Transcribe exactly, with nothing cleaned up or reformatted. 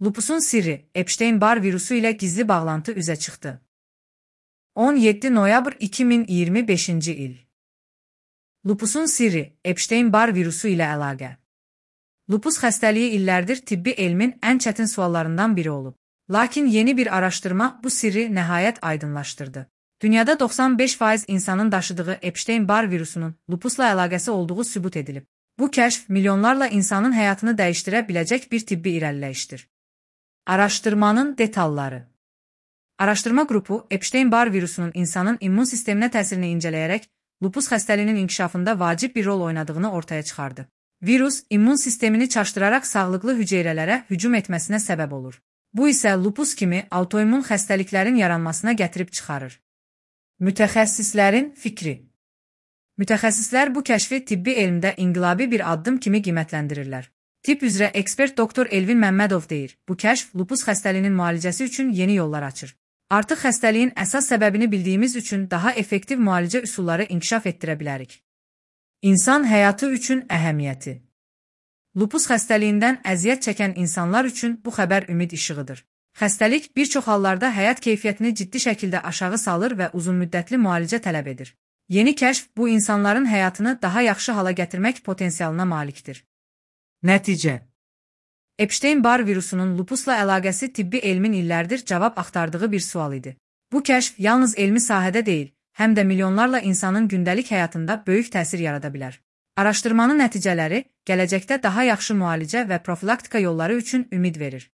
Lupusun sirri, Epstein-Barr virusu ilə gizli bağlantı üzə çıxdı. on yeddi noyabr iki min iyirmi beşinci il. Lupusun sirri, Epstein-Barr virusu ilə əlaqə. Lupus xəstəliyi illərdir tibbi elmin ən çətin suallarından biri olub. Lakin yeni bir araşdırma bu sirri nəhayət aydınlaşdırdı. Dünyada doxsan beş faiz insanın daşıdığı Epstein-Barr virusunun lupusla əlaqəsi olduğu sübut edilib. Bu kəşf milyonlarla insanın həyatını dəyişdirə biləcək bir tibbi irəliləyişdir. Araşdırmanın detalları. Araşdırma qrupu Epstein-Barr virusunun insanın immun sisteminə təsirini incələyərək lupus xəstəliyinin inkişafında vacib bir rol oynadığını ortaya çıxardı. Virus immun sistemini çaşdıraraq sağlıqlı hüceyrələrə hücum etməsinə səbəb olur. Bu isə lupus kimi autoimmun xəstəliklərin yaranmasına gətirib çıxarır. Mütəxəssislərin fikri. Mütəxəssislər bu kəşfi tibbi elmdə inqilabi bir addım kimi qiymətləndirirlər. Tibb üzrə ekspert doktor Elvin Məmmədov deyir, bu kəşf lupus xəstəliyinin müalicəsi üçün yeni yollar açır. Artıq xəstəliyin əsas səbəbini bildiyimiz üçün daha effektiv müalicə üsulları inkişaf etdirə bilərik. İnsan həyatı üçün əhəmiyyəti. Lupus xəstəliyindən əziyyət çəkən insanlar üçün bu xəbər ümid işığıdır. Xəstəlik bir çox hallarda həyat keyfiyyətini ciddi şəkildə aşağı salır və uzunmüddətli müalicə tələb edir. Yeni kəşf bu insanların həyatını daha yaxşı hala gətirmək potensialına malikdir. Nəticə. Epstein-Barr virusunun lupusla əlaqəsi tibbi elmin illərdir cavab axtardığı bir sual idi. Bu kəşf yalnız elmi sahədə deyil, həm də milyonlarla insanın gündəlik həyatında böyük təsir yarada bilər. Araşdırmanın nəticələri gələcəkdə daha yaxşı müalicə və profilaktika yolları üçün ümid verir.